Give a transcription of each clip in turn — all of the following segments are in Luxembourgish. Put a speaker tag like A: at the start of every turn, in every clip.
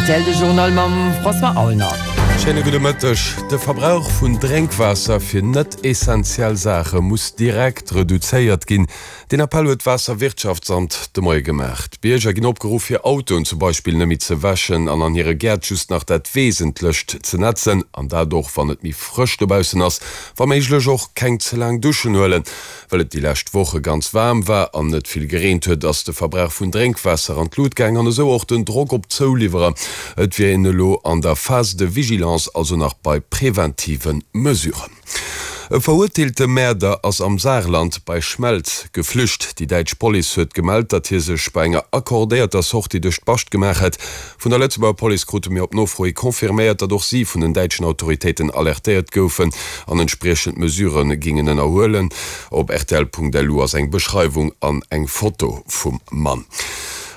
A: Rtl, de Journal mam François Aulner.
B: Schéine gudde Mëtteg. De Verbrauch vun Drénkwaasser fir net essentiell Saache muss direkt reduzéiert ginn. Deen Appell huet d'Waasserwirtschaftsamt de Moie gemaach. D'Bierger ginn opgeruff, hir Autoen zum Beispill net méi ze wäschen an an hire Gäert just nach dat Wesentlecht ze netzen. An dat och wann et méi frësch dobaussen ass. Wa méiglech och keng ze laang Duschen huelen. Well et déi lescht Woche ganz waarm war an net vill gereent huet, ass de Verbrauch vun Drénkwaasser an d'Lut gaang an esou och den Drock op d'Zouliwwerer. Et wier een elo an der Phase de vigilance, also nach bei preventive Mesuren. E verurteelte Mäerder ass am Saarland bei Schmelz geflücht. Déi däitsch Police huet gemellt, datt hie sech bei enger accordéierter Sortie duerch d'Bascht gemaach hätt. Vun der Lëtzebuerger Police krute mir op Nofro hi confirméiert, datt och si vun den däitschen Autoritéiten alertéiert goufen an entspriechend Mesurë gingen ënnerhuelen. Op rtl.lu ass eng Beschreiwung an eng Foto vum Mann.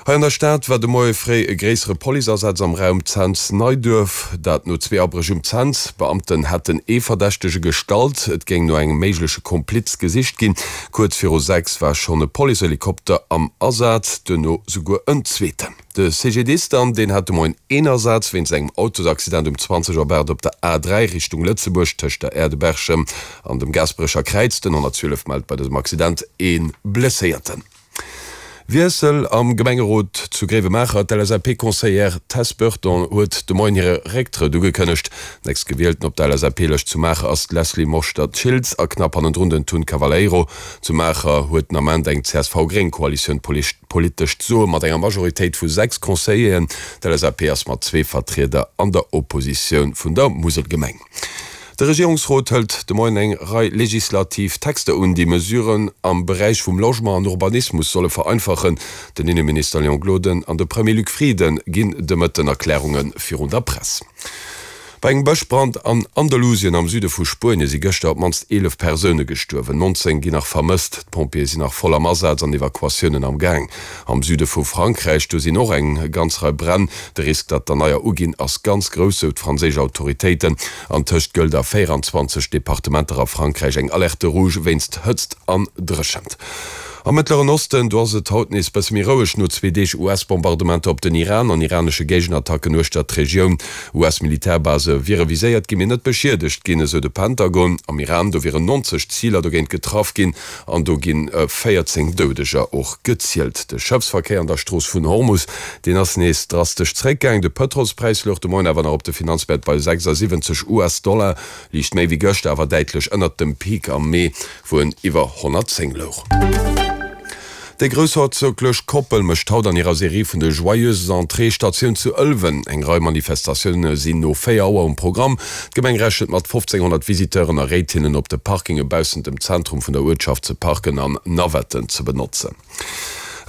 B: Hei an der Stad war de Moie fréi e gréissere Policeasaz am Raum Cents-Neiduerf. Dat no zwee Abréch um Cents. Beamten hätten ee Verdächtege gestallt. Et géing no engem méigleche Kompliz gesicht ginn. Kuerz viru 6 war schonn e Policehelikopter am Asaz, duerno souguer en zweeten. De CGDIS dann, deen hat de Moien een Asaz wéinst engem Autosaccident um 20 op 8 op der A3 Richtung Lëtzebuerg tëscht der Aire de Berchem an dem Gaasperecher Kräiz. Den 112 mellt bei dësem Accident ee Blesséierten. Wiessel am Gemengerot zu Gréiwemaacher, D'LSAP-Conseillère Tess Burton huet de Moien hire Récktrëtt ugekënnegt. Nächst Gewielten op der LSAP-Lëscht zu Maacher ass d'Leslie Moschter-Schiltz a knapp hannendrun den Tun Cavaleiro. Zu Maacher huet den Ament eng CSV-Gréng-Koalitioun d'politescht Soe mat enger Majoritéit vu 6 Conseilleren. D'LSAP ass mat zwee Vertrieder an der Oppositioun vun der Muselgemeng. De Regierungsrot hëlt de Moien eng Rei legislativ Texter un, déi Mesuren am Beräich vum Logement an Urbanismus solle vereinfachen. Den Inneminister Léon Gloden an de Premier Luc Frieden ginn de Mëtten Erklärunge virun der Press. Bei engem Bëschbrand an Andalusien am Süde vu Spuenie si gëschter op d'mannst 11 Persoune gestuerwen, 19 ginn nach vermësst. D'Pompjeeë sinn nach voll am Asaz an Evakuatiounen am Gaang. Am Süde vu Frankräich, do sinn och eng ganz Rei Bränn. De Risk, datt der neier uginn, ass ganz grouss, sou d'franséisch Autoritéiten. Antëscht gëllt a 24 Departementer a Frankräich eng Alerte rouge wéinst Hëtzt an Dréchent. Am Mëttleren Osten, do ass et haut nees bësse méi roueg no zwee Deeg US-Bombardementer op den Iran an iranesche Géigenattacken uechter d'Regioun. US-Militärbase wiere viséiert ginn, mee net beschiedegt ginn, esou de Pentagon. Am Iran, do wieren 90 Ziler dogéint getraff ginn. An do ginn 14 Doudeger och gezielt. De Schëffsverkéier an der Strooss vun Hormus, deen ass nees drastesch zeréckgaang. De Pëtrolspräis louch de Moien awer nach op de Finanzmäert bei 76 US-Dollar, liicht méi wéi gëschter, awer däitlech ënnert dem Peak am Mee, wou en iwwer 110 louch. Déi groussherzoglech Koppel mécht haut an hirer Serie vun de Joyeuses Entrées Statioun zu Ëlwen. Eng Rei Manifestatioune sinn no 4 Auer um Programm. D'Gemeng rechent mat 1.500 Visiteuren a réit hinnen, op de Parkinge baussent dem Zentrum vun der Uertschaft ze parken an Navetten ze benotzen.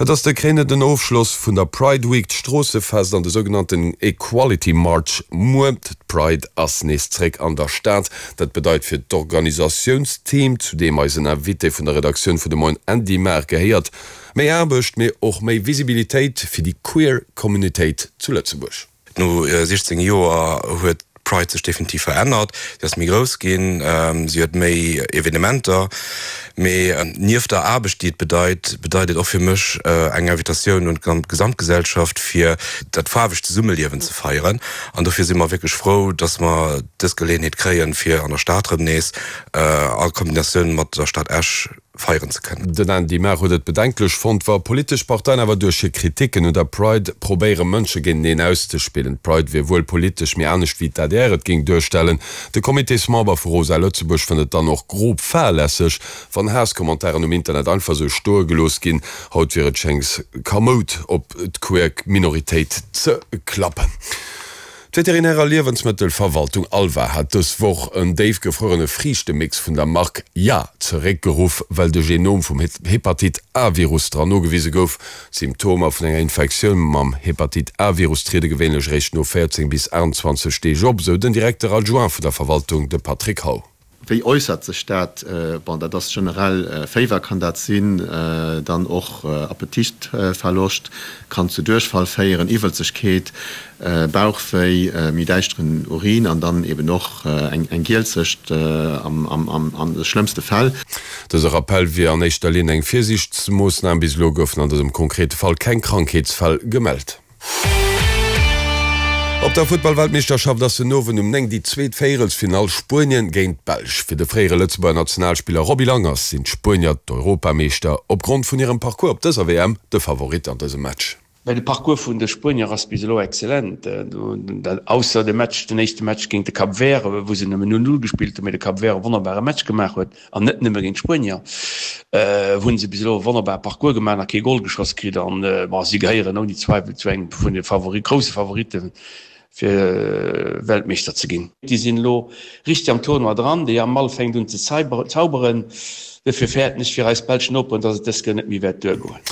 B: Et ass de kréinenden Ofschloss vun der Pride Week, d'Stroossefest an de sougenannten Equality March muer. D'Pride ass nees zréck an der Stad. Dat bedeit fir d'Organisatiounsteam, zu deem eisen Invité vun der Redaktioun vun de Moien Andy Maar gehéiert, méi Aarbecht, mee och méi Visibilitéit fir déi queer Communitéit zu Lëtzebuerg.
C: No 16 Joer huet d'Pride sech definitiv verännert. Si ass méi grouss ginn, si huet méi Evenementer. Mee nieft der Aarbecht, déi et bedeit, bedeit et och fir mech eng Invitatioun un d'Gesamtgesellschaft, fir dat faarwegt Zesummeliewen ze feieren. An dofir si mer wierklech frou, dass mer dës Geleeënheet kréien, fir an der Stad erëm nees a Kombinatioun mat der Stad Esch feieren ze kënnen.
B: Den Andy Maar huet et bedenklech fonnt, wa politesch Parteien awer duerch hir Kriticken un der Pride probéiere Mënsche géinteneen auszespillen. D'Pride wier wuel politesch, mee anescht wéi d'ADR et géing duerstellen. De Comitésmember vu Rosa Lëtzebuerg fënnt et dann och grob fahrlässeg, wann Haasskommentaren um Internet einfach sou stoe gelooss ginn. Haut wier et schéngs kamoud op d'queer Minoritéit ze klappen. D'Veterinär a Liewensmëttelverwaltung ALVA hat dës Woch en déifgefruerene Friichtemix vun der Mark Ja zeréckgeruff, well de Genom vum Hepatitt-A-Virus dran nogewise gouf. D'Symptomer vun enger Infektioun mam Hepatitt-A-Virus triede gewéinlech eréischt no 14 bis 28 Deeg op, sou den Directeur adjoint vun der Verwaltung, de Patrick Hau.
D: Wéi äussert sech dat? Bon, dat ass generell Féiwer kann dat sinn, dann och Appetitverloscht, kann zu Duerchfall féieren, Iwwelzegkeet, Bauchwéi, méi däischteren Urin an dann eben och eng Gielzecht an de schlëmmste Fäll.
B: Dëse Rappell wier an éischter Linn eng Virsiichtsmoossnam. Bis elo goufen an dësem konkrete Fall keng Krankheetsfäll gemellt. Op der Futtball-Weltmeeschterschaft ass den Owend um 9 déi zweet Véierelsfinall, Spuenien géint d'Belsch. Fir de fréiere Lëtzebuerger Nationalspiller Roby Langers sinn d'Spuenier d'Europameeschter opgrond vun hirem Parcours op dëser WM de Favorit an dësem Match.
E: Well de Parcours vun de Spuenier ass bis elo excellent, ausser de Match, den éischte Match géint de Cap Vert, wou se nëmmen 0, 0 gespillt hunn, mee de Cap Vert e wonnerbare Match gemaach huet, an net nëmme géint d'Spuenier, hunn se bis elo e wonnerbare Parcours gemaach, nach kee Gol geschoss kritt an, bon, si gehéieren ouni Zweiwel zu engem vun de Favori, grousse Favoritte fir Weltmeeschter ze ginn. Déi sinn elo richteg am Tournoi dran, de Yamal fänkt un ze zauberen, dofir fäerten ech fir eis belsch Noperen, datt et dës Kéier net méi wäert duergoen.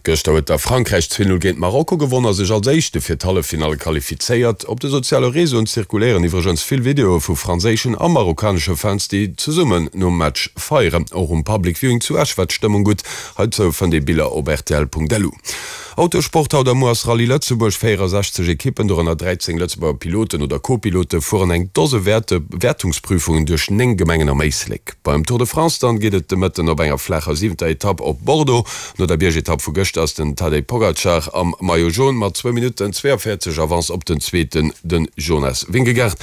B: Gëschter huet da Frankräich 2, 0 géint Marokko gewonn a sech als Éischte fir d'Halleffinalle qualifizéiert. Op de soziale Reseauen zirkuléieren iwwregens vill Videoe vu franséischen a marokkanesche Fans, déi zesummen nom Match feieren. Och um Public Viewing zu Esch war d'Stëmmung gutt. Heizou fënnt ee Biller op rtl.lu. Autosport, Haut a muer ass Rallye Lëtzebuerg. 64 Ekippen, dorënner 13 Lëtzebuerger Piloten oder Co-Pilote, fueren eng Dose Wäertungsprüfungen duerch 9 Gemengen am Éislek. Beim Tour de France dann geet et de Mëtten op enger flaacher siwenter Etapp op Bordeaux. No der Biergetapp vu gëschter ass den Tadej Pogacar am Maillot Jaune mat zwou Minutten 42 Avance op den Zweeten, den Jonas Vingegaard.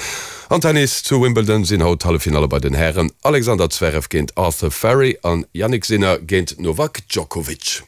B: Am Tennis zu Wimbledon sinn haut d'Halleffinalle bei den Hären, Alexander Zverev géint Arthur Fery an Jannik Sinner géint Novak Djokovic.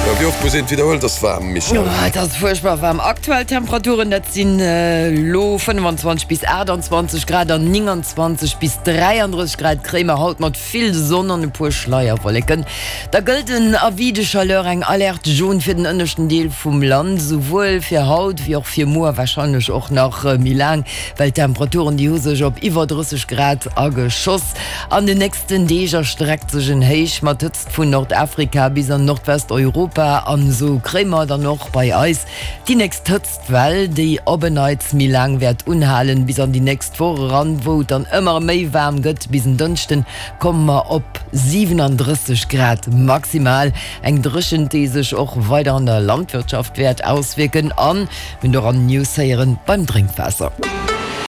B: Jo, wéi oft muss een et widderhuelen, et ass waarm, Michèle.
A: Oh, et ass fuerchtbar waarm. Aktuell Temperaturen, dat sinn elo 25 bis 28 Grad an 29 bis 33 Grad kréie mer haut mat vill Sonn an e puer Schleierwolleken. Da gëllt en Avis de chaleur, eng Alerte jaune fir den ënneschten Deel vum Land, esouwuel fir haut wéi och fir muer, warscheinlech och nach méi laang, well d'Temperaturen, déi hu sech op iwwer 30 Grad ageschoss. An den nächsten Deeg erstreckt sech en Héich mat Hëtzt vun Nordafrika bis an Nordwesteuropa an esou kréie mer dann och bei eis déi nächst Hëtztwell, déi op en Neits méi laang wäert unhalen, bis an déi nächst Woch eran, wou et dann ëmmer méi waarm gëtt. Bis en Dënschden komme mer op 37 Grad maximal, eng Dréchent, déi sech och weider an der Landwirtschaft wäert auswierken an mir hunn och an News héieren, beim Drénkwaasser.